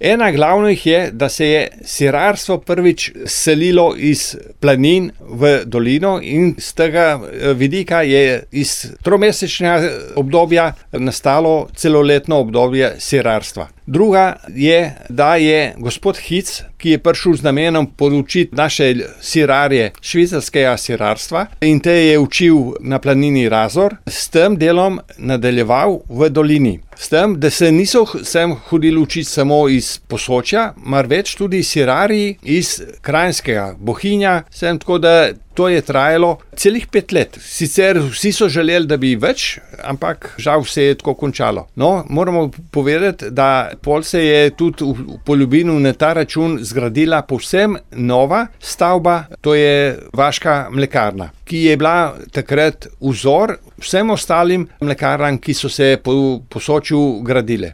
Ena glavnih je, da se je sirarstvo prvič selilo iz planin v dolino in z tega vidika je iz tromesečnega obdobja nastalo celoletno obdobje sirarstva. Druga je, da je gospod Hic, ki je prišel z namenom podučiti naše sirarje švicarskega sirarstva in te je učil na planini Razor, s tem delom nadaljeval v dolini. S tem, da se niso sem hodili učiti samo iz Posočja, marveč tudi sirarji iz Kranjskega, Bohinja, sem tako da to je trajalo celih 5 let. Sicer vsi so želeli, da bi več, ampak žal se je tako končalo. No, moramo povedati, da pol se je tudi v Poljubinu na ta račun zgradila povsem nova stavba, to je vaška mlekarna, ki je bila takrat vzor vsem ostalim mlekarnam, ki so se po Posočju gradile.